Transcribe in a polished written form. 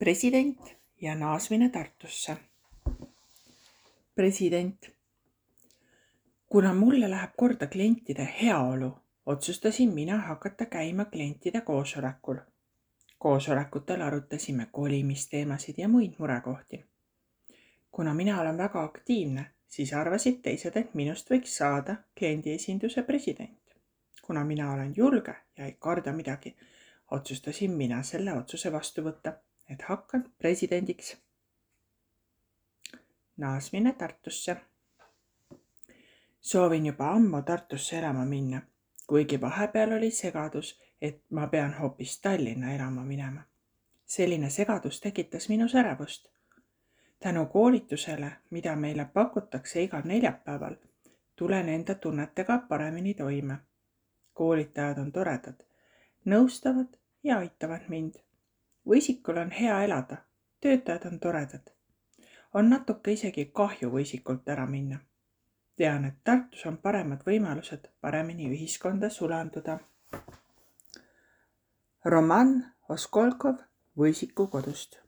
President ja naasmine Tartusse. President. Kuna mulle läheb korda klientide heaolu, otsustasin mina hakata käima klientide koosolekul. Koosolekutel arutasime kolimisteemasid ja muid murekohti. Kuna mina olen väga aktiivne, siis arvasid teised, et minust võiks saada kliendiesinduse president. Kuna mina olen julge ja ei karda midagi, otsustasin mina selle otsuse vastu võtta, et hakkan presidendiks. Naasmine Tartusse. Soovin juba ammu Tartusse elama minna, kuigi vahepeal oli segadus, et ma pean hoopis Tallinna elama minema. Selline segadus tekitas minus ärevust. Tänu koolitusele, mida meile pakutakse igal neljapäeval, tulen enda tunnetega paremini toime. Koolitajad on toredad, nõustavad ja aitavad mind. Võisikul on hea elada, töötajad on toredad. On natuke isegi kahju võisikult ära minna. Tean, et Tartus on paremad võimalused paremini ühiskonda sulanduda. Roman Oskolkov Võisiku kodust.